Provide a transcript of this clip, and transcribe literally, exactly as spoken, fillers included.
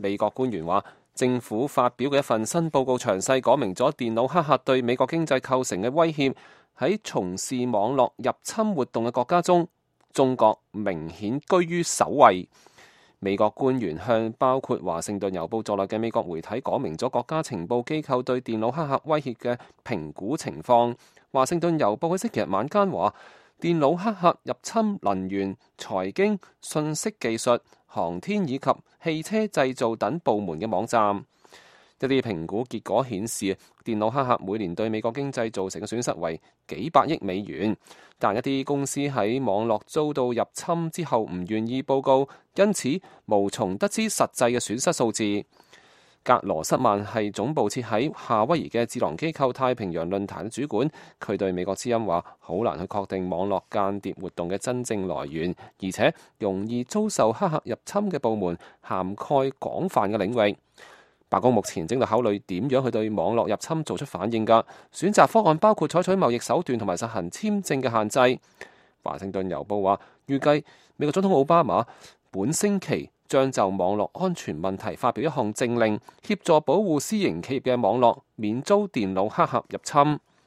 美國官員話，政府發表嘅一份新報告詳細講明咗電腦黑客對美國經濟構成嘅威脅。喺從事網絡入侵活動嘅國家中，中國明顯居於首位。美國官員向包括華盛頓郵報在內嘅美國媒體講明咗國家情報機構對電腦黑客威脅嘅評估情況。華盛頓郵報喺星期日晚間話，電腦黑客入侵能源、財經、信息技術、航天以及汽車製造等部門嘅網站。一啲評估結果顯示，電腦黑客每年對美國經濟造成嘅損失為幾百億美元，但一啲公司喺網絡遭到入侵之後唔願意報告，因此無從得知實際嘅損失數字。格羅瑟曼係總部設喺夏威夷嘅智囊機構太平洋論壇嘅主管，佢對美國之音話：好難去確定網絡間諜活動嘅真正來源，而且容易遭受黑客入侵嘅部門涵蓋廣泛嘅領域。白宮目前正在考慮點樣去對網絡入侵做出反應㗎，選擇方案包括採取貿易手段同埋實行簽證嘅限制。華盛頓郵報話，預計美國總統奧巴馬本星期將就網絡安全問題發表一項政令，協助保護私營企業嘅網絡免遭電腦黑客入侵。